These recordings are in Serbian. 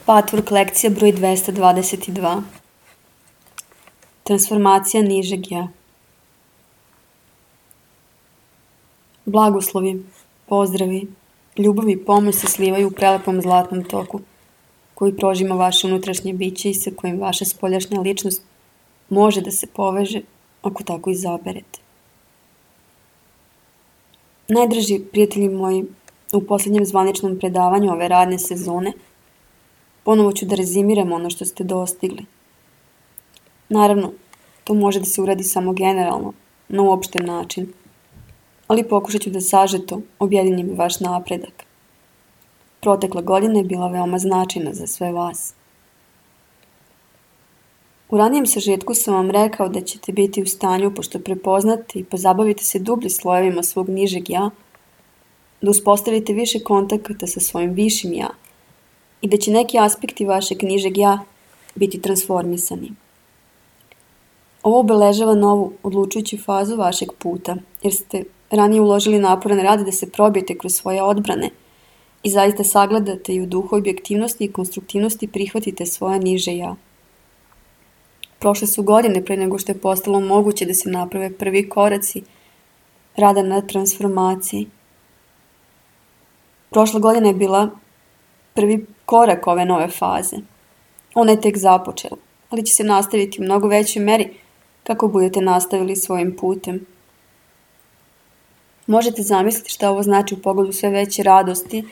Patvork lekcija broj 222. Transformacija nižeg ja. Blagoslovi, pozdravi, ljubav i pomoć se slivaju u prelepom zlatnom toku koji prožima vaše unutrašnje biće i sa kojim vaša spoljašnja ličnost može da se poveže ako tako izaberete. Najdraži prijatelji moji, u posljednjem zvaničnom predavanju ove radne sezone ponovo ću da rezimiram ono što ste dostigli. Naravno, to može da se uradi samo generalno, na uopšten način, ali pokušat ću da sažeto objedinim vaš napredak. Protekla godina je bila veoma značajna za sve vas. U ranijem sažetku sam vam rekao da ćete biti u stanju, pošto prepoznate i pozabavite se dublje slojevima svog nižeg ja, da uspostavite više kontakata sa svojim višim ja i da će neki aspekti vašeg nižeg ja biti transformisani. Ovo obeležava novu, odlučujuću fazu vašeg puta, jer ste ranije uložili naporan rad da se probijete kroz svoje odbrane i zaista sagledate i u duhu objektivnosti i konstruktivnosti prihvatite svoje niže ja. Prošle su godine pre nego što je postalo moguće da se naprave prvi koraci rada na transformaciji. Prošla godina je bila prvi korak ove nove faze. Ona je tek započela, ali će se nastaviti u mnogo većoj meri kako budete nastavili svojim putem. Možete zamisliti šta ovo znači u pogledu sve veće radosti,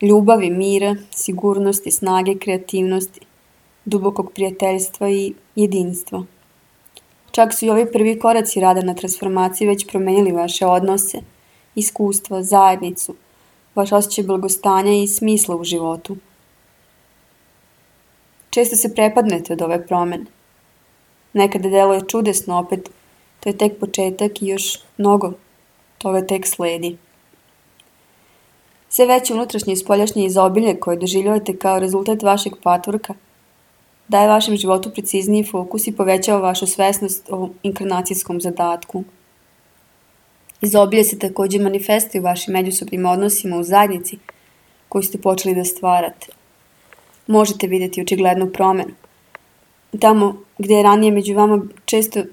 ljubavi, mira, sigurnosti, snage, kreativnosti, dubokog prijateljstva i jedinstva. Čak su i ovi prvi koraci rada na transformaciji već promenili vaše odnose, iskustva, zajednicu, vaš osjećaj blagostanja i smisla u životu. Često se prepadnete od ove promene. Nekada deluje čudesno, opet to je tek početak i još mnogo toga tek sledi. Sve veće unutrašnje i spoljašnje izobilje koje doživljavate kao rezultat vašeg patvorka daje vašem životu precizniji fokus i povećava vašu svesnost o inkarnacijskom zadatku. Izobilje se također manifestuje u vašim međusobnim odnosima u zajednici koju ste počeli da stvarate. Možete vidjeti očiglednu promenu. Tamo gdje je ranije među vama često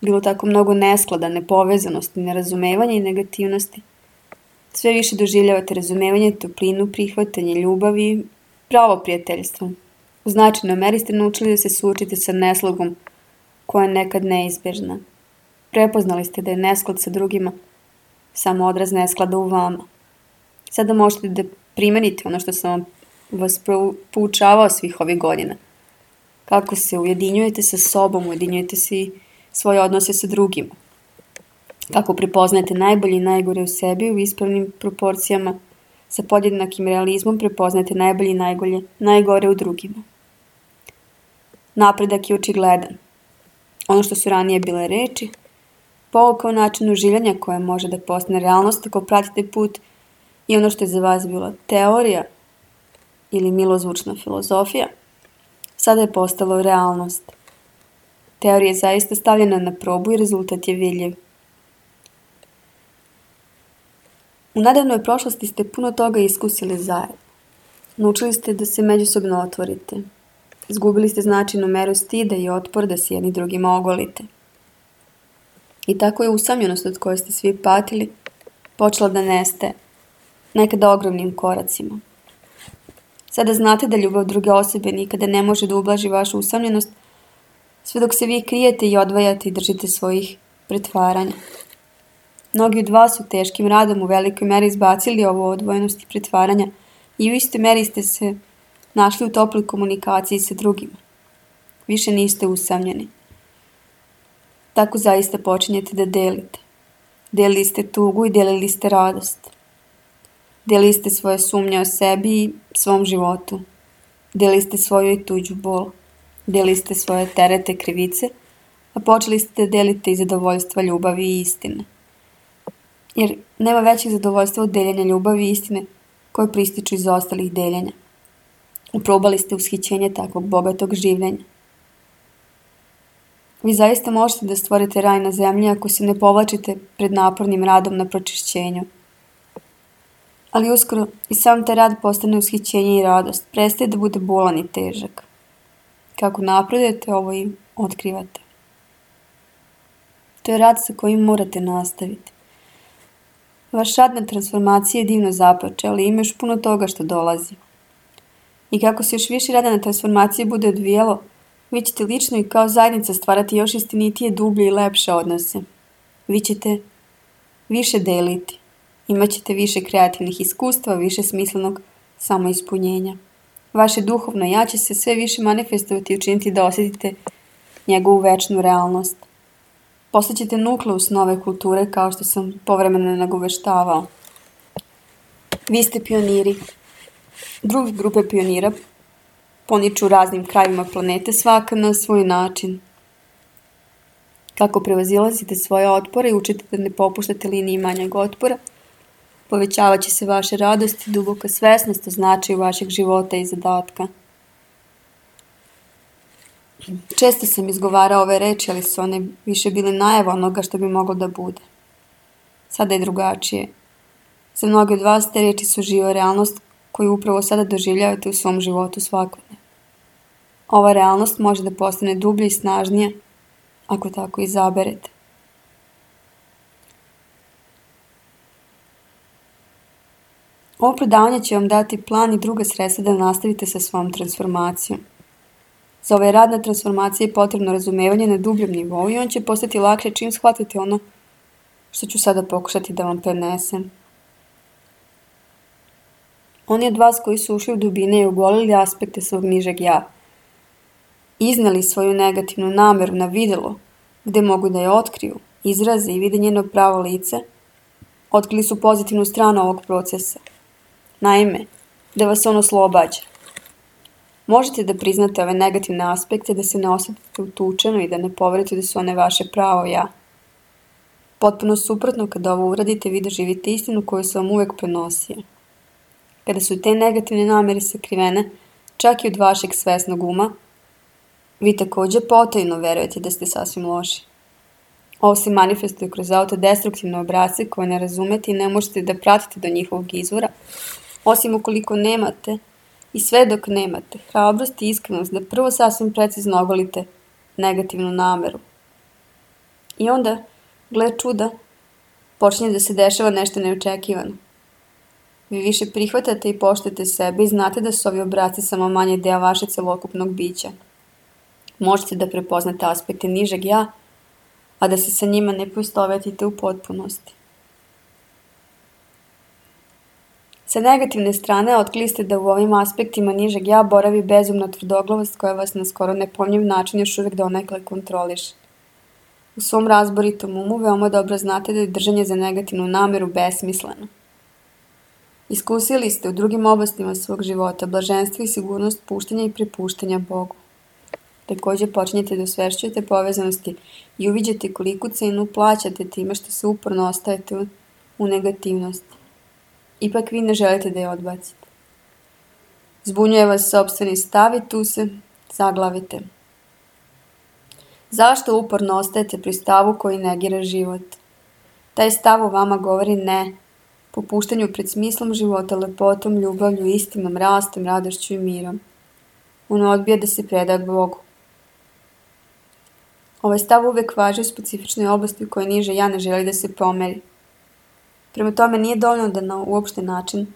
bilo tako mnogo nesklada, nepovezanosti, nerazumevanja i negativnosti, sve više doživljavate razumevanje, toplinu, prihvatanje, ljubav i pravo prijateljstvo. U značajnoj meri ste naučili da se suočite sa neslagom koja je nekad neizbežna. Prepoznali ste da je nesklad sa drugima samo odraz nesklada u vama. Sada možete da primenite ono što sam vas poučavao svih ovih godina. Kako se ujedinjujete sa sobom, ujedinjujete se i svoje odnose sa drugima. Kako prepoznajete najbolje i najgore u sebi u ispravnim proporcijama, sa podjednakim realizmom prepoznajete najbolje i najgore u drugima. Napredak je očigledan. Ono što su ranije bile reči, pouka o načinu življenja koja može da postane realnost ako pratite put i ono što je za vas bila teorija ili milozvučna filozofija, sada je postalo realnost. Teorija je zaista stavljena na probu i rezultat je vidljiv. U nedavnoj prošlosti ste puno toga iskusili zajedno. Naučili ste da se međusobno otvorite. Izgubili ste značajnu meru stida i otpor da se jedni drugima ogolite. I tako je usamljenost od koje ste svi patili počela da nestaje, nekada ogromnim koracima. Sada znate da ljubav druge osobe nikada ne može da ublaži vašu usamljenost, sve dok se vi krijete i odvajate i držite svojih pretvaranja. Mnogi od vas su teškim radom u velikoj meri izbacili ovu odvojenost i pretvaranja i u istoj meri ste se našli u toploj komunikaciji sa drugima. Više niste usamljeni. Tako zaista počinjete da delite. Delili ste tugu i delili ste radost. Delili ste svoje sumnje o sebi i svom životu. Delili ste svoju i tuđu bol. Delili ste svoje terete, krivice, a počeli ste da delite i zadovoljstva, ljubavi i istine. Jer nema većeg zadovoljstva od deljenja ljubavi i istine koje prističu iz ostalih deljenja. Uprobali ste ushićenje takvog bogatog življenja. Vi zaista možete da stvorite raj na zemlji ako se ne povlačite pred napornim radom na pročišćenju. Ali uskoro i sam taj rad postane ushićenje i radost, prestaje da bude bolan i težak. Kako napredujete, ovo i otkrivate. To je rad sa kojim morate nastaviti. Vaš rad na transformaciji je divno započeo, ali ima još puno toga što dolazi. I kako se još više rada na transformaciji bude odvijalo, vi ćete lično i kao zajednica stvarati još istinitije, dublje i lepše odnose. Vi ćete više deliti. Imaćete više kreativnih iskustva, više smislenog samoispunjenja. Vaše duhovno ja će se sve više manifestovati i učiniti da osjetite njegovu večnu realnost. Postaćete nukleus nove kulture kao što sam povremeno nagoveštavao. Vi ste pioniri. Druge grupe pionira poniču u raznim krajevima planete, svaka na svoj način. Kako prevazilazite svoje otpore i učite da ne popuštate liniji manjeg otpora, povećavat će se vaše radost i duboka svesnost o značaju vašeg života i zadatka. Često sam izgovarao ove reči, ali su one više bile najava onoga što bi moglo da bude. Sada je drugačije. Za mnoge od vas te reči su živa realnost koju upravo sada doživljavate u svom životu svakodnevno. Ova realnost može da postane dublja i snažnija ako tako izaberete. Ovo predavanje će vam dati plan i druga sredstva da nastavite sa svojom transformacijom. Za ovaj rad na transformaciji je potrebno razumevanje na dubljem nivou i on će postati lakše čim shvatite ono što ću sada pokušati da vam prenesem. Oni od vas koji su ušli u dubine i ogolili aspekte svog nižeg ja, izneli svoju negativnu nameru na videlo, gde mogu da je otkriju, izraze i vide njeno pravo lice, otkrili su pozitivnu stranu ovog procesa. Naime, da vas on oslobađa. Možete da priznate ove negativne aspekte, da se ne osjetite utučeno i da ne poverite da su one vaše pravo ja. Potpuno suprotno, kada ovo uradite, vi doživite istinu koju sam vam uvek prenosio. Kada su te negativne namere sakrivene, čak i od vašeg svesnog uma, vi takođe potajno verujete da ste sasvim loši. Ovo se manifestuje kroz autodestruktivne obrasce koje ne razumete i ne možete da pratite do njihovog izvora, osim ukoliko nemate i sve dok nemate hrabrost i iskrenost da prvo sasvim precizno ogolite negativnu nameru. I onda, gle čuda, počinje da se dešava nešto neočekivano. Vi više prihvatate i poštujete sebe i znate da su ovi obrasci samo manje deo vaše celokupnog bića. Možete da prepoznate aspekte nižeg ja, a da se sa njima ne poistovetite u potpunosti. Sa negativne strane otkrili ste da u ovim aspektima nižeg ja boravi bezumna tvrdoglavost koja vas na skoro nepojmljiv način još uvek donekle kontroliše. U svom razboritom umu veoma dobro znate da je držanje za negativnu nameru besmisleno. Iskusili ste u drugim oblastima svog života blaženstvo i sigurnost puštanja i prepuštanja Bogu. Takođe počinjete da osvešćujete povezanosti i uviđate koliku cenu plaćate time što se uporno ostajete u negativnosti. Ipak vi ne želite da je odbacite. Zbunjuje vas sopstveni stav i tu se zaglavite. Zašto uporno ostajete pri stavu koji negira život? Taj stav u vama govori ne, popuštanju pred smislom života, lepotom, ljubavlju, istinom, rastom, radošću i mirom. On odbija da se preda Bogu. Ovaj stav uvek važi u specifičnoj oblasti u kojoj niže ja ne želi da se pomeri. Prema tome nije dovoljno da na uopšten način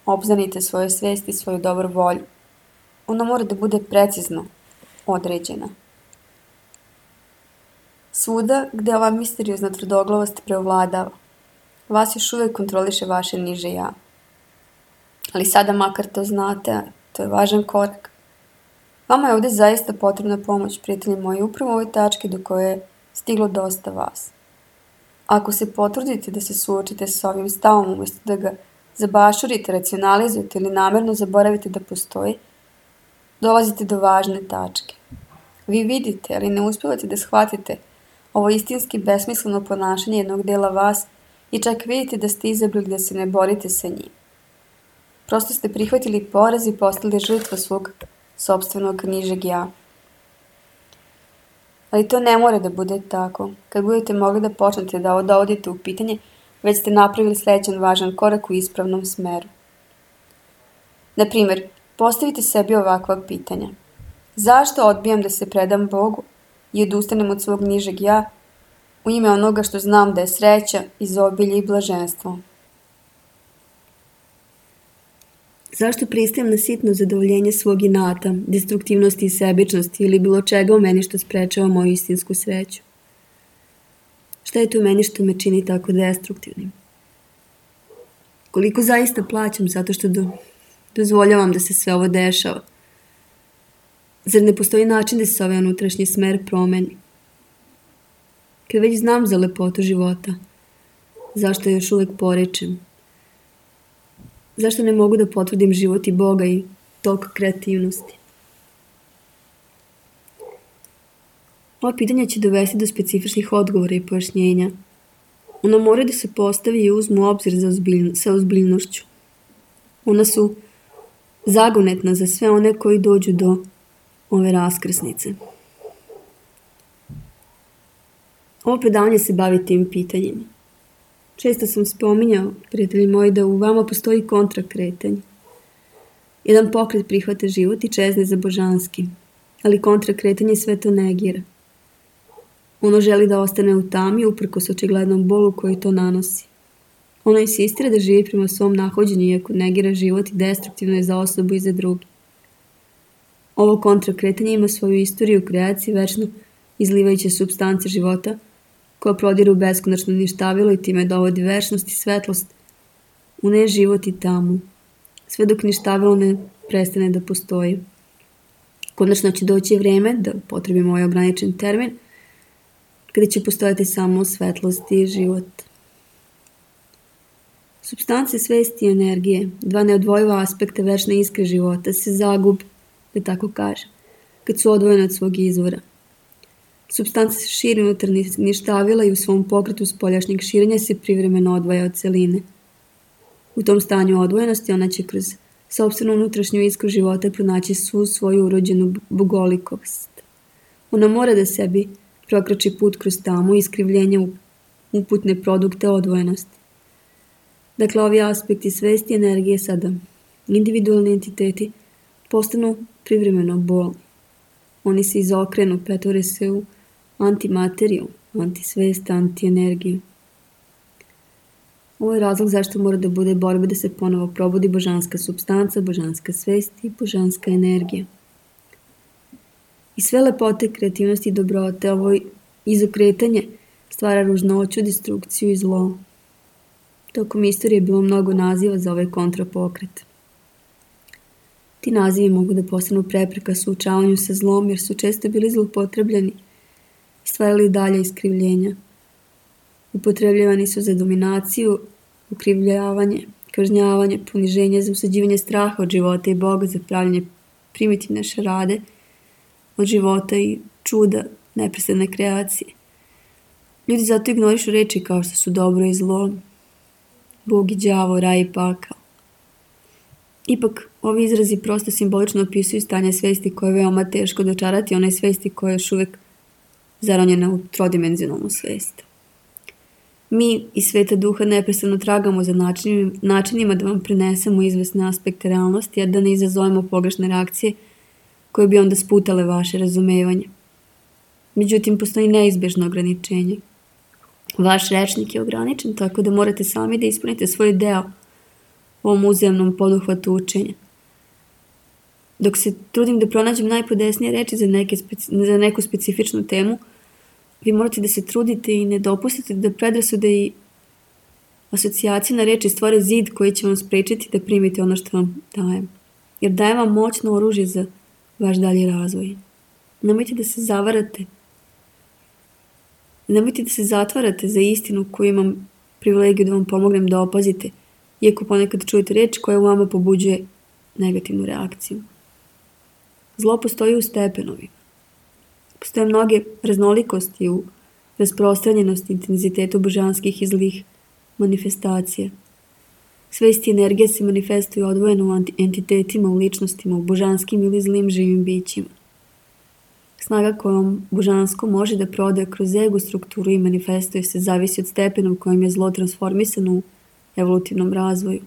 obznanite svoje svesti i svoju dobru volju. Ona mora da bude precizno određena. Svuda gde ova misteriozna tvrdoglavost preovladava, vas još uvek kontroliše vaše niže ja. Ali sada makar to znate, to je važan korak. Vama je ovde zaista potrebna pomoć, prijatelji moji, upravo u ovoj tački do koje je stiglo dosta vas. Ako se potrudite da se suočite sa ovim stavom umesto da ga zabašurite, racionalizujete ili namerno zaboravite da postoji, dolazite do važne tačke. Vi vidite, ali ne uspevate da shvatite ovo istinski besmisleno ponašanje jednog dela vas i čak vidite da ste izabrali da se ne borite sa njim. Prosto ste prihvatili poraz i postali žrtva svog sopstvenog nižeg ja. Ali to ne mora da bude tako. Kad budete mogli da počnete da ovo dovodite u pitanje, već ste napravili sljedeći važan korak u ispravnom smeru. Na primjer, postavite sebi ovakva pitanja. Zašto odbijam da se predam Bogu i odustanem od svog nižeg ja u ime onoga što znam da je sreća, izobilje i blaženstvo? Zašto pristajem na sitno zadovoljenje svog inata, destruktivnosti i sebičnosti ili bilo čega u meni što sprečava moju istinsku sreću? Šta je to u meni što me čini tako destruktivnim? Koliko zaista plaćam zato što dozvoljavam da se sve ovo dešava? Zar ne postoji način da se ovaj unutrašnji smer promeni? Kad već znam za lepotu života, zašto još uvijek porečem? Zašto ne mogu da potvrdim život i Boga i tok kreativnosti? Ova pitanja će dovesti do specifičnih odgovora i pojašnjenja. Ona moraju da se postavi i uzmu u obzir sa ozbiljnošću. Ona su zagonetna za sve one koji dođu do ove raskrsnice. Ovo predavanje se bavi tim pitanjima. Često sam spominjao, prijatelji moji, da u vama postoji kontrakretanje. Jedan pokret prihvata život i čezne za božanski, ali kontrakretanje sve to negira. Ono želi da ostane u tami uprkos očiglednom bolu koji to nanosi. Ono insistira da živi prema svom nahođenju iako negira život i destruktivno je za osobu i za drugi. Ovo kontrakretanje ima svoju istoriju u kreaciji večno izlivajuće supstance života koja prodiru beskonačno ništavilo i time dovodi večnost i svetlost u neživot i tamu, sve dok ništavilo ne prestane da postoji. Konačno će doći vreme, da upotrebimo ovaj ograničen termin, kada će postojati samo svetlost i život. Supstance svesti i energije, dva neodvojiva aspekta večne iskre života, se zagube, da tako kažem, kad su odvojene od svog izvora. Supstanca se širi unutar ništavila i u svom pokretu spoljašnjeg širenja se privremeno odvaja od celine. U tom stanju odvojenosti ona će kroz sopstvenu unutrašnju iskru života pronaći svu svoju urođenu bogolikost. Ona mora da sebi prokrači put kroz tamu i iskrivljenje uputne produkte odvojenosti. Dakle, ovi aspekti svesti i energije sada, individualni entiteti, postanu privremeno bolni. Oni se izokrenu, pretvore se u antimateriju, antisvest, antienergiju. Ovo je razlog zašto mora da bude borba da se ponovo probudi božanska supstanca, božanska svest i božanska energija. I sve lepote, kreativnosti i dobrote, ovo izokretanje stvara ružnoću, destrukciju i zlo. Tokom istorije je bilo mnogo naziva za ovaj kontrapokret. Ti nazivi mogu da postanu prepreka suočavanju sa zlom jer su često bili zloupotrebljeni i stvarali dalje iskrivljenja. Upotrebljavani su za dominaciju, ukrivljavanje, kažnjavanje, poniženje, za usađivanje straha od života i Boga, za pravljanje primitivne šarade od života i čuda neprestane kreacije. Ljudi zato ignorišu reči kao što su dobro i zlo, Bog i đavo, raj i pakao. Ipak, ovi izrazi prosto simbolično opisuju stanje svesti koje je veoma teško dočarati, onaj svesti koja je još uvijek zaronjena u trodimenzionalnu svest. Mi iz sveta duha neprestano tragamo za načinima da vam prenesemo izvesne aspekte realnosti, a da ne izazovemo pogrešne reakcije koje bi onda sputale vaše razumevanje. Međutim, postoji neizbježno ograničenje. Vaš rečnik je ograničen, tako da morate sami da ispunite svoj deo u ovom uzajamnom poduhvatu učenja. Dok se trudim da pronađem najpodesnije reči za neku specifičnu temu, vi morate da se trudite i ne dopustite da predrasude i asocijacije na reči stvore zid koji će vam sprečiti da primite ono što vam dajem. Jer dajem vam moćno oružje za vaš dalji razvoj. Nemojte da se zavarate. Nemojte da se zatvarate za istinu koju imam privilegiju da vam pomognem da opazite, iako ponekad čujete reč koja u vama pobuđuje negativnu reakciju. Zlo postoji u stepenovima. Postoje mnoge raznolikosti u rasprostranjenosti intenzitetu božanskih i zlih manifestacija. Svest i energija se manifestuju odvojeno u entitetima, u ličnostima, u božanskim ili zlim živim bićima. Snaga kojom božansko može da prodaje kroz ego strukturu i manifestuje se zavisi od stepena u kojem je zlo transformisano u evolutivnom razvoju.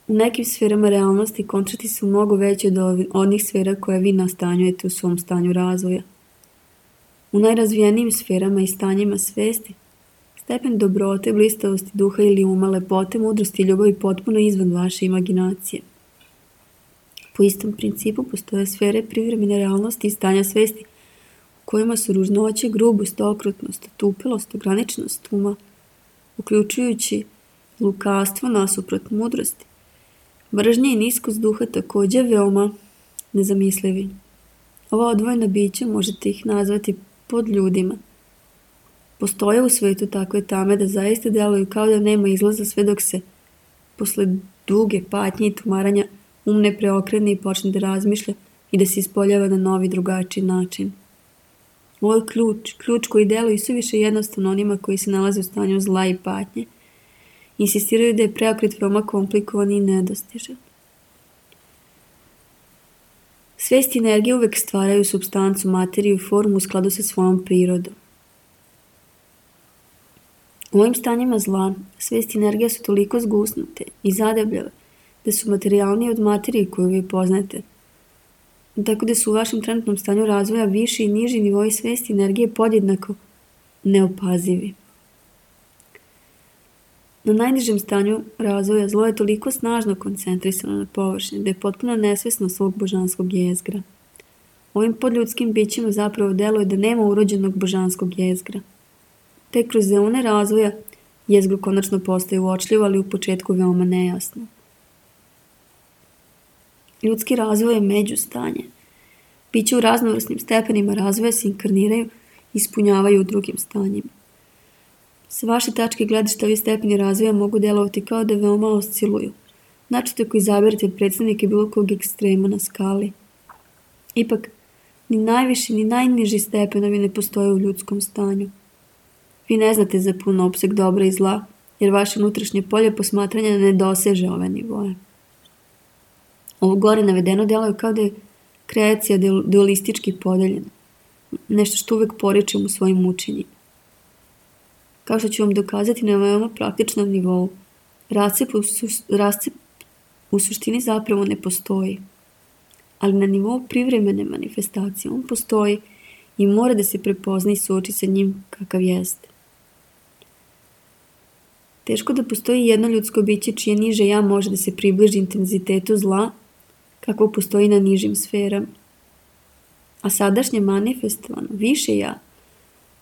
U nekim sferama realnosti kontrasti su mnogo veći od onih sfera koje vi nastanjujete u svom stanju razvoja. U najrazvijenijim sferama i stanjima svesti, stepen dobrote, blistavosti duha ili uma, lepote, mudrosti i ljubavi potpuno izvan vaše imaginacije. Po istom principu postoje sfere privremene realnosti i stanja svesti u kojima su ružnoće, grubost, okrutnost, otupelost, ograničenost uma, uključujući lukavstvo nasuprot mudrosti. Mržnja i niskost duha također veoma nezamislivi. Ova odvojena bića možete ih nazvati pod ljudima. Postoje u svetu takve tame da zaista deluju kao da nema izlaza sve dok se posle duge patnje i tumaranja um ne preokrene i počne da razmišlja i da se ispoljava na novi drugačiji način. Ovo je ključ koji deluje isuviše jednostavno onima koji se nalaze u stanju zla i patnje. Insistiraju da je preokret veoma komplikovan i nedostižan. Svest i energija uvek stvaraju supstancu, materiju i formu u skladu sa svojom prirodom. U ovim stanjima zla, svest i energija su toliko zgusnute i zadebljave da su materijalnije od materije koju vi poznate. Tako da su u vašem trenutnom stanju razvoja viši i niži nivoi svesti i energije podjednako neopazivi. Na najnižem stanju razvoja zlo je toliko snažno koncentrisano na površini da je potpuno nesvesno svog božanskog jezgra. Ovim podljudskim bićima zapravo deluje da nema urođenog božanskog jezgra. Tek kroz eone razvoja jezgro konačno postaje uočljivo, ali u početku veoma nejasno. Ljudski razvoj je međustanje. Biće u raznovrsnim stepenima razvoja se inkarniraju i ispunjavaju u drugim stanjima. Sa vaše tačke gledišta ovi stepeni razvoja mogu delovati kao da veoma osciluju. Načito ako izaberete predstavnike bilo kog ekstrema na skali. Ipak, ni najviši ni najniži stepenovi ne postoje u ljudskom stanju. Vi ne znate za pun opseg dobra i zla, jer vaše unutrašnje polje posmatranja ne doseže ove nivoje. Ovo gore navedeno deluje kao da je kreacija dualistički podeljena. Nešto što uvek poričem u svojim učenjima. Kao što ću vam dokazati na veoma praktičnom nivou, rascep u suštini zapravo ne postoji. Ali na nivou privremene manifestacije on postoji i mora da se prepozna i suoči sa njim kakav jeste. Teško da postoji jedno ljudsko biće čije niže ja može da se približi intenzitetu zla kako postoji na nižim sferama. A sadašnje manifestovano, više ja,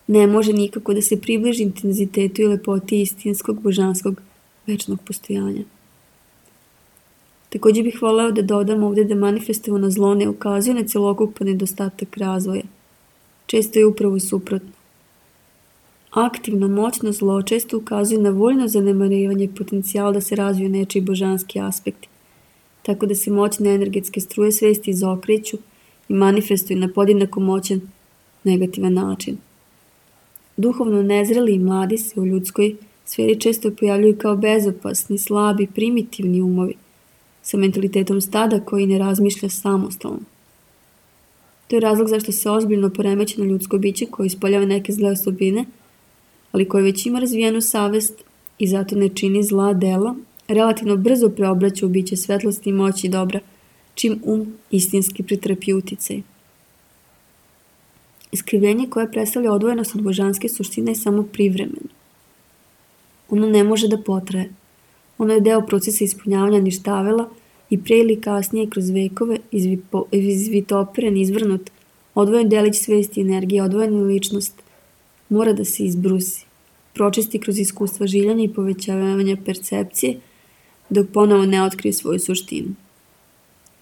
ne može nikako da se približi intenzitetu i lepoti istinskog, božanskog, večnog postojanja. Također bih voleo da dodam ovdje da manifestovano zlo ne ukazuje na celokupan nedostatak razvoja. Često je upravo suprotno. Aktivno, moćno zlo često ukazuje na voljno zanemarivanje potencijala da se razviju nečiji božanski aspekti, tako da se moćne energetske struje svesti izokreću i manifestuju na podjednako moćan negativan način. Duhovno nezreli i mladi se u ljudskoj sferi često pojavljuju kao bezopasni, slabi, primitivni umovi, sa mentalitetom stada koji ne razmišlja samostalno. To je razlog zašto se ozbiljno poremećeno ljudsko biće koje ispoljava neke zle osobine, ali koje već ima razvijenu savest i zato ne čini zla dela, relativno brzo preobraća u biće svetlosti, moći i dobra, čim istinski pretrpi uticaj. Iskrivljenje koje predstavlja odvojenost od božanske suštine je samo privremeno. Ono ne može da potraje. Ono je deo procesa ispunjavanja ništavela i pre ili kasnije kroz vekove izvitopiren, izvrnut, odvojen delić svesti i energije, odvojena ličnost mora da se izbrusi, pročisti kroz iskustva življenja i povećavanja percepcije, dok ponovo ne otkrije svoju suštinu.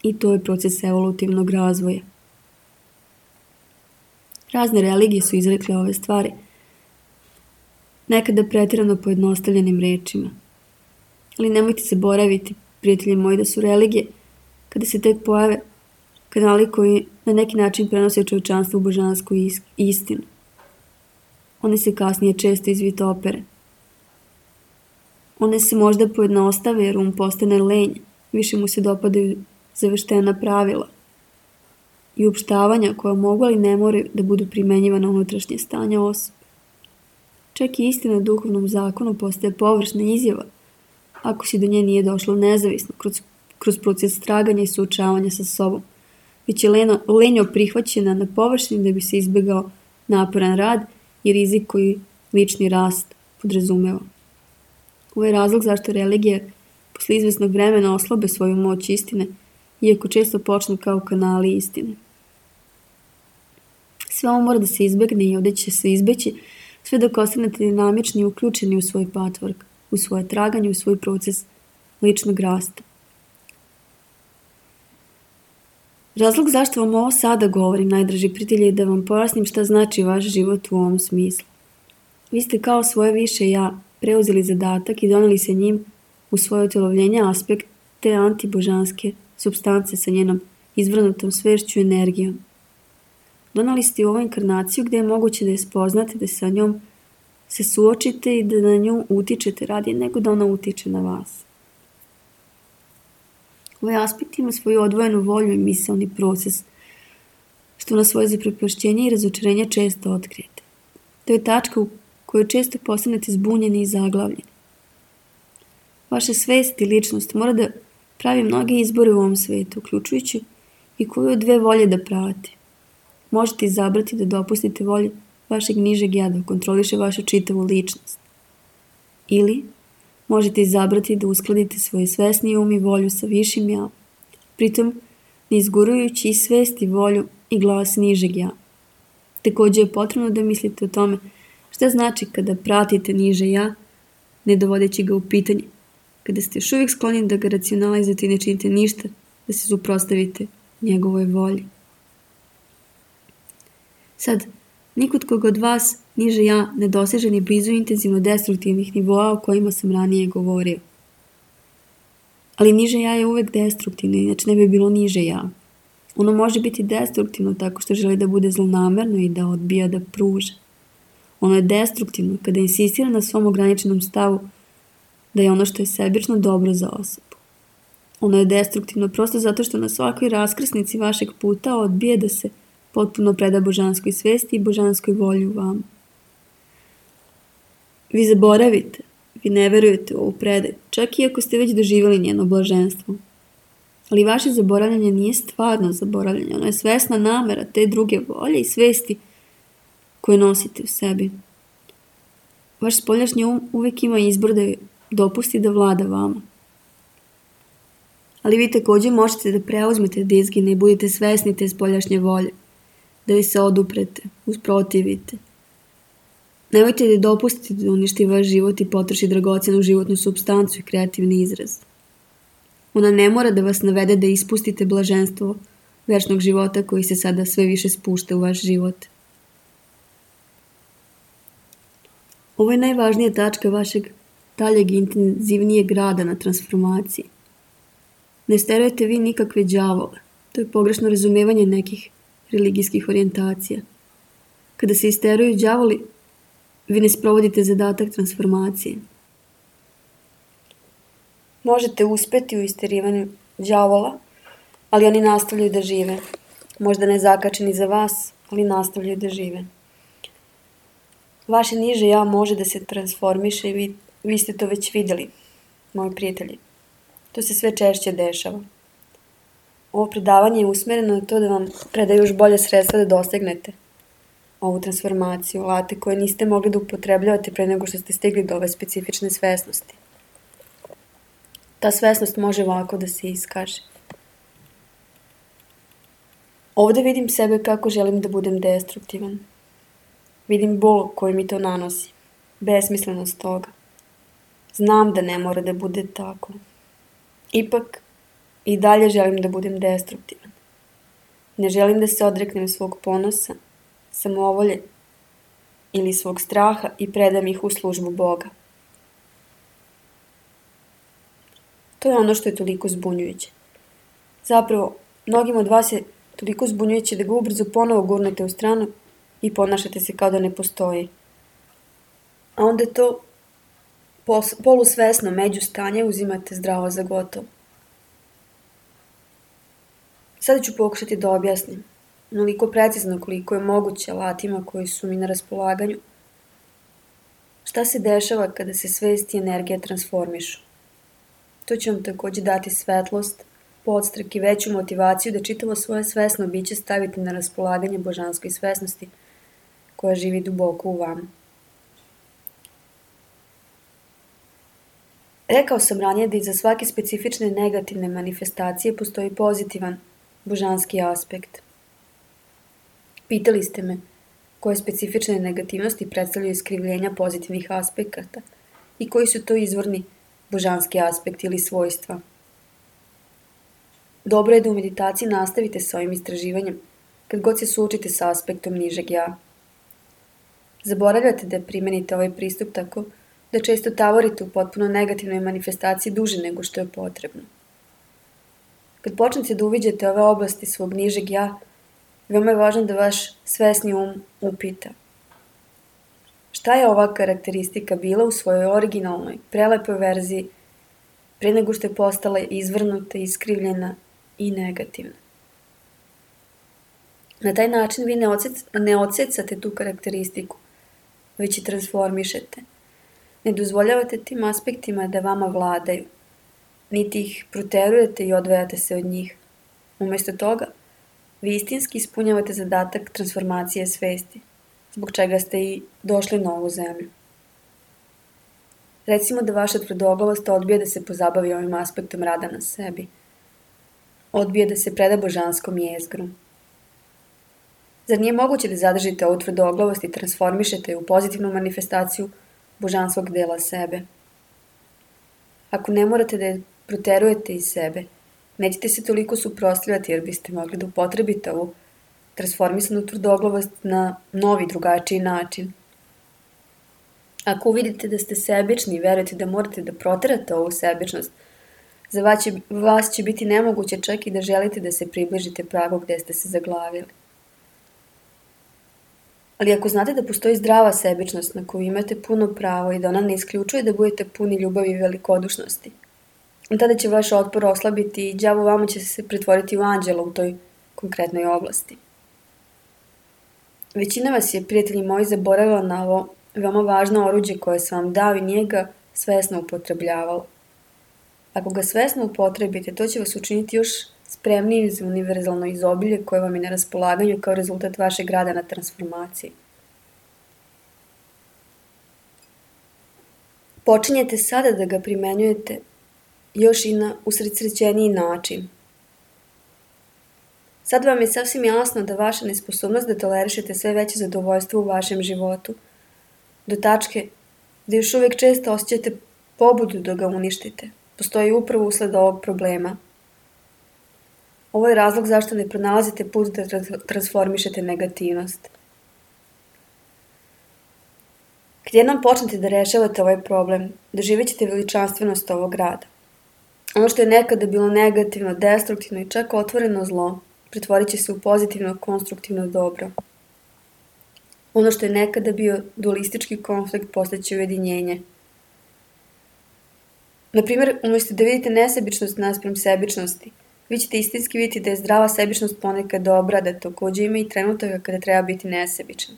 I to je proces evolutivnog razvoja. Razne religije su izrekle ove stvari, nekada pretjerano pojednostavljenim rečima. Ali nemojte zaboraviti, prijatelji moji, da su religije, kada se tek pojave, kanali koji na neki način prenose čovječanstvo u božansku istinu. One se kasnije često izvitopere. One se možda pojednostave jer postane lenj, više mu se dopadaju zaveštena pravila. i opštavanja koja mogu ali ne moraju da budu primenjivana unutrašnje stanja osobe. Čak i istina o duhovnom zakonu postaje površna izjava ako si do nje nije došlo nezavisno kroz proces traganja i suočavanja sa sobom, već je lenjo prihvaćena na površini da bi se izbegao naporan rad i rizik koji lični rast podrazumeva. Ovo je razlog zašto religije posle izvesnog vremena oslabe svoju moć istine, iako često počnu kao kanali istine. Sve ovo mora da se izbegne i ovdje će se izbeći sve dok ostanete dinamični i uključeni u svoj patvork, u svoje traganje, u svoj proces ličnog rasta. Razlog zašto vam ovo sada govorim, najdraži prijatelji, je da vam pojasnim šta znači vaš život u ovom smislu. Vi ste kao svoje više ja preuzeli zadatak i doneli se njim u svoje utjelovljenje aspekt te antibožanske supstance sa njenom izvrnutom svešću i energijom. Donali ste u ovu inkarnaciju gdje je moguće da je spoznate, da sa njom se suočite i da na nju utičete radije nego da ona utiče na vas. Ovaj aspekt ima svoju odvojenu volju i misaoni proces, što na svoje zaprepašćenje i razočarenje često otkrijete. To je tačka u kojoj često postanete zbunjeni i zaglavljeni. Vaša svest i ličnost mora da pravi mnoge izbore u ovom svetu, uključujući i koju od dve volje da pravite. Možete izabrati da dopustite volji vašeg nižeg ja da kontroliše vašu čitavu ličnost. Ili možete izabrati da uskladite svoje svesni um i volju sa višim ja, pritom ne izgurujući i svest i volju i glas nižeg ja. Također je potrebno da mislite o tome šta znači kada pratite niže ja, ne dovodeći ga u pitanje, kada ste još uvijek skloni da ga racionalizujete i ne činite ništa da se suprotstavite njegovoj volji. Sad, nikud koga od vas niže ja ne doseže ni blizu intenzivno destruktivnih nivoa o kojima sam ranije govorio. Ali niže ja je uvek destruktivno, inače ne bi bilo niže ja. Ono može biti destruktivno tako što želi da bude zlonamerno i da odbija da pruža. Ono je destruktivno kada insistira na svom ograničenom stavu da je ono što je sebično dobro za osobu. Ono je destruktivno prosto zato što na svakoj raskrsnici vašeg puta odbije da se potpuno preda božanskoj svesti i božanskoj volji u vama. Vi zaboravite, vi ne verujete u ovu predaju, čak i ako ste već doživjeli njeno blaženstvo. Ali vaše zaboravljanje nije stvarno zaboravljanje, ono je svesna namera te druge volje i svesti koje nosite u sebi. Vaš spoljašnji um uvijek ima izbor da dopusti da vlada vama. Ali vi također možete da preuzmete dizgine i budete svesni te spoljašnje volje, da vi se oduprete, usprotivite. Nemojte da dopustite da uništi vaš život i potroši dragocjenu životnu supstancu i kreativni izraz. Ona ne mora da vas navede da ispustite blaženstvo večnog života koji se sada sve više spušta u vaš život. Ovo je najvažnija tačka vašeg daljeg intenzivnijeg rada na transformaciji. Ne sterujete vi nikakve đavole. To je pogrešno razumevanje nekih religijskih orijentacija. Kada se isteruju đavoli, vi ne sprovodite zadatak transformacije. Možete uspeti u isterivanju đavola, ali oni nastavljaju da žive. Možda ne zakačeni za vas, ali nastavljaju da žive. Vaše niže ja može da se transformiše i vi ste to već vidjeli, moji prijatelji. To se sve češće dešava. Ovo predavanje je usmjereno na to da vam preda još bolje sredstva da dosegnete ovu transformaciju, alate koje niste mogli da upotrebljavate pre nego što ste stigli do ove specifične svesnosti. Ta svesnost može ovako da se iskaže. Ovdje vidim sebe kako želim da budem destruktivan. Vidim bol koji mi to nanosi, besmislenost toga. Znam da ne mora da bude tako. Ipak, i dalje želim da budem destruktivan. Ne želim da se odreknem svog ponosa, samovolje ili svog straha i predam ih u službu Boga. To je ono što je toliko zbunjujuće. Zapravo, mnogim od vas je toliko zbunjujuće da ga ubrzo ponovo gurnete u stranu i ponašate se kao da ne postoji. A onda to polusvesno međustanje uzimate zdravo za gotovo. Sada ću pokušati da objasnim onoliko precizno koliko je moguće alatima koji su mi na raspolaganju. Šta se dešava kada se svest i energija transformišu? To će vam takođe dati svetlost, podstrek i veću motivaciju da čitavo svoje svesno biće stavite na raspolaganje božanskoj svesnosti koja živi duboko u vama. Rekao sam ranije da iza svake specifične negativne manifestacije postoji pozitivan božanski aspekt. Pitali ste me koje specifične negativnosti predstavljaju iskrivljenja pozitivnih aspekata i koji su to izvorni božanski aspekti ili svojstva. Dobro je da u meditaciji nastavite sa ovim istraživanjem kad god se suočite sa aspektom nižeg ja. Zaboravljate da primenite ovaj pristup tako da često tavorite u potpuno negativnoj manifestaciji duže nego što je potrebno. Kad počnete da uviđate ove oblasti svog nižeg ja, veoma je važno da vaš svesni upita. Šta je ova karakteristika bila u svojoj originalnoj, prelepoj verziji pre nego što je postala izvrnuta, iskrivljena i negativna? Na taj način vi ne odsecate tu karakteristiku, već i transformišete. Ne dozvoljavate tim aspektima da vama vladaju, niti ih proterujete i odvajate se od njih. Umesto toga, vi istinski ispunjavate zadatak transformacije svesti, zbog čega ste i došli na ovu zemlju. Recimo da vaša tvrdoglavost odbije da se pozabavi ovim aspektom rada na sebi. Odbije da se preda božanskom jezgru. Zar nije moguće da zadržite ovu tvrdoglavost i transformišete je u pozitivnu manifestaciju božanskog dela sebe? Ako ne morate da je proterujete iz sebe, nećete se toliko suprotstavljati jer biste mogli da upotrebite ovu transformisanu tvrdoglavost na novi, drugačiji način. Ako uvidite da ste sebični i verujete da morate da proterate ovu sebičnost, za vas će biti nemoguće čak i da želite da se približite pragu gde ste se zaglavili. Ali ako znate da postoji zdrava sebičnost na koju imate puno pravo i da ona ne isključuje da budete puni ljubavi i velikodušnosti, tada će vaš otpor oslabiti i đavo vama će se pretvoriti u anđela u toj konkretnoj oblasti. Većina vas je, prijatelji moji, zaboravila na ovo veoma važno oruđe koje sam vam dao i nije ga svesno upotrebljavalo. Ako ga svesno upotrebite, to će vas učiniti još spremniji za univerzalno izobilje koje vam je na raspolaganju kao rezultat vašeg rada na transformaciji. Počinjete sada da ga primenjujete još i na usredsrećeniji način. Sad vam je sasvim jasno da vaša nesposobnost da tolerišete sve veće zadovoljstvo u vašem životu, do tačke da još uvijek često osjećate pobudu da ga uništite, postoji upravo usled ovog problema. Ovo je razlog zašto ne pronalazite put da transformišete negativnost. Kad jednom počnete da rešavate ovaj problem, doživjet ćete veličanstvenost ovog rada. Ono što je nekada bilo negativno, destruktivno i čak otvoreno zlo, pretvorit će se u pozitivno, konstruktivno dobro. Ono što je nekada bio dualistički konflikt postaće ujedinjenje. Naprimjer, umjesto da vidite nesebičnost naspram sebičnosti, vi ćete istinski vidjeti da je zdrava sebičnost ponekad dobra, da takođe ima i trenutaka kada treba biti nesebičan.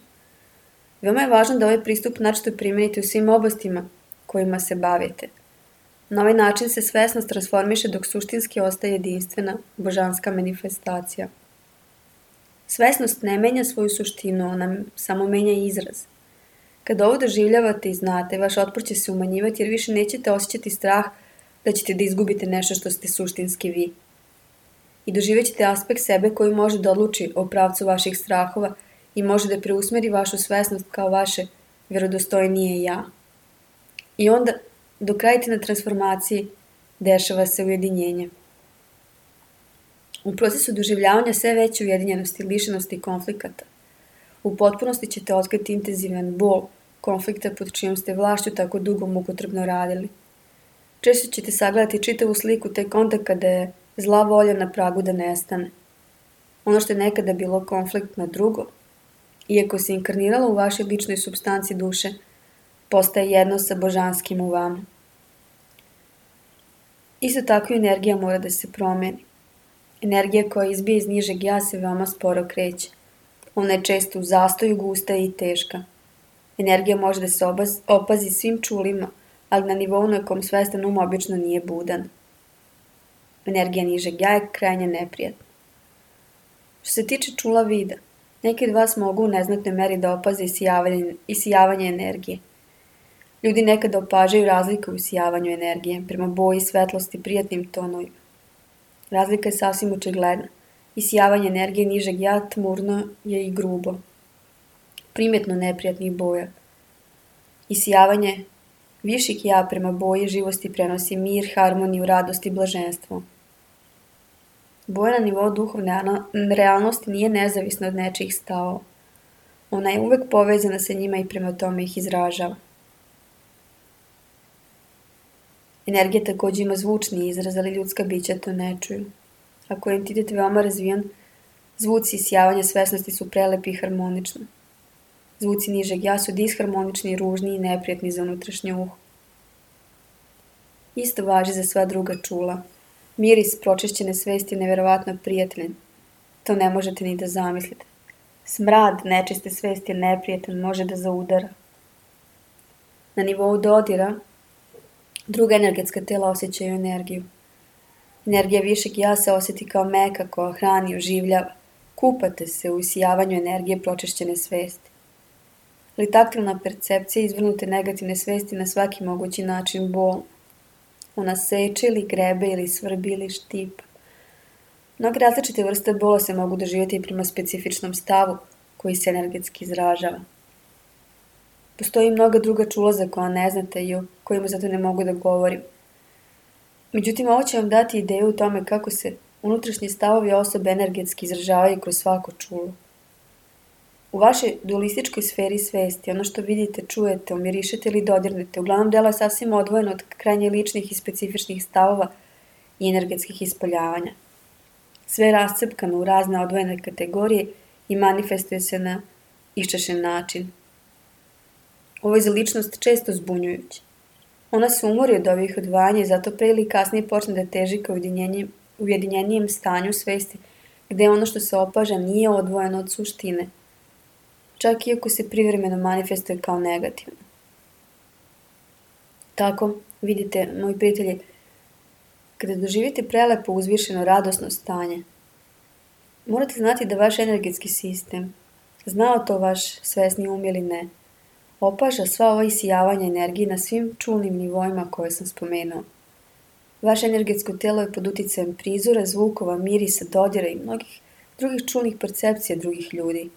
Veoma je važno da ovaj pristup načito primenite u svim oblastima kojima se bavite. Na ovaj način se svesnost transformiše dok suštinski ostaje jedinstvena božanska manifestacija. Svesnost ne menja svoju suštinu, ona samo menja izraz. Kada ovo doživljavate i znate, vaš otpor će se umanjivati jer više nećete osjećati strah da ćete da izgubite nešto što ste suštinski vi. I doživjet ćete aspekt sebe koji može da odluči o pravcu vaših strahova i može da preusmeri vašu svesnost kao vaše vjerodostojnije ja. I onda, dok radite na transformaciji, dešava se ujedinjenje. U procesu doživljavanja sve veće ujedinjenosti, lišenosti i konflikata, u potpunosti ćete otkriti intenzivan bol konflikta pod čijom ste vlašću tako dugo mukotrpno radili. Češće ćete sagledati čitavu sliku tek onda kada je zla volja na pragu da nestane. Ono što je nekada bilo konfliktno drugo, iako se inkarniralo u vašoj ličnoj supstanci duše, postaje jedno sa božanskim u vama. Isto tako i energija mora da se promeni. Energija koja izbije iz nižeg ja se veoma sporo kreće. Ona je često u zastoju, gusta i teška. Energija može da se opazi svim čulima, ali na nivou na kom svestan obično nije budan. Energija nižeg ja je krajnje neprijatna. Što se tiče čula vida, neki od vas mogu u neznatnoj meri da opaze isijavanje energije. Ljudi nekada opažaju razliku u isijavanju energije, prema boji, svetlosti, prijatnim tonovima. Razlika je sasvim očigledna. Isijavanje energije nižeg ja tmurno je i grubo. Primjetno neprijatnih boja. Isijavanje viših ja prema boji živosti prenosi mir, harmoniju, radost i blaženstvo. Boja na nivou duhovne realnosti nije nezavisna od nečijih stavova. Ona je uvek povezana sa njima i prema tome ih izražava. Energija takođe ima zvučni izraz, ali ljudska bića to ne čuju. Ako je entitet veoma razvijan, zvuci isijavanja svesnosti su prelepi i harmonični. Zvuci nižeg ja su disharmonični, ružni i neprijatni za unutrašnje uho. Isto važi za sva druga čula. Miris pročišćene svesti je neverovatno prijateljen. To ne možete ni da zamislite. Smrad nečiste svesti je neprijatelj, može da zaudara. Na nivou dodira, druga energetska tela osjećaju energiju. Energija višeg ja se osjeti kao meka koja hrani, oživljava. Kupate se u isijavanju energije pročišćene svesti. Ali taktilna percepcija izvrnute negativne svesti na svaki mogući način bolna. Ona seče ili grebe ili svrbi ili štipa. Mnoge različite vrste bola se mogu doživjeti prema specifičnom stavu koji se energetski izražava. Postoji mnoga druga čula za koja ne znate i o kojima zato ne mogu da govorim. Međutim, ovo će vam dati ideju o tome kako se unutrašnji stavovi osobe energetski izražavaju kroz svako čulo. U vašoj dualističkoj sferi svesti, ono što vidite, čujete, omirišete ili dodirnete, uglavnom delo je sasvim odvojeno od krajnje ličnih i specifičnih stavova i energetskih ispoljavanja. Sve je rascepkano u razne odvojene kategorije i manifestuje se na iščešen način. Ovo je za ličnost često zbunjujuće. Ona se umori od ovih odvajanja i zato pre ili kasnije počne da teži ka ujedinjenijem stanju svesti, gde ono što se opaža nije odvojeno od suštine, čak iako se privremeno manifestuje kao negativno. Tako, vidite, moji prijatelji, kada doživite prelepo, uzvišeno, radosno stanje, morate znati da vaš energetski sistem, znao to vaš svesni ili ne, opaža sva ova isijavanja energije na svim čulnim nivoima koje sam spomenuo. Vaše energetsko telo je pod uticajem prizora, zvukova, mirisa, dodira i mnogih drugih čulnih percepcija drugih ljudi.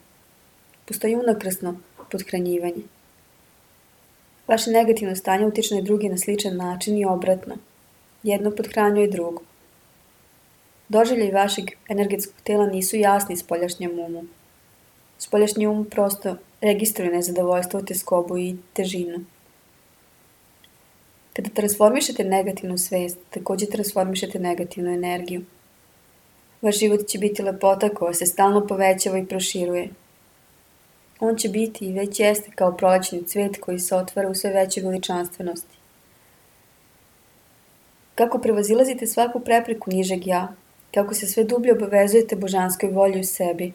Postoji unakrasno podhranjivanje. Vaše negativno stanje utiče na druge na sličan način i obratno. Jedno podhranjuje drugo. Doživljaji vašeg energetskog tela nisu jasni spoljašnjem umu. Spoljašnji um prosto registruje nezadovoljstvo, teskobu i težinu. Kada transformišete negativnu svest, takođe transformišete negativnu energiju. Vaš život će biti lepota koja se stalno povećava i proširuje. On će biti i već jeste kao prolećni cvet koji se otvara u sve većoj veličanstvenosti. Kako prevazilazite svaku prepreku nižeg ja, kako se sve dublje obavezujete božanskoj volji u sebi,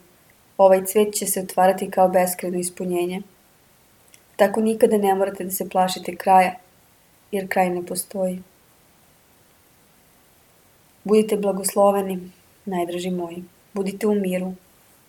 ovaj cvet će se otvarati kao beskrajno ispunjenje. Tako nikada ne morate da se plašite kraja, jer kraj ne postoji. Budite blagosloveni, najdraži moji. Budite u miru.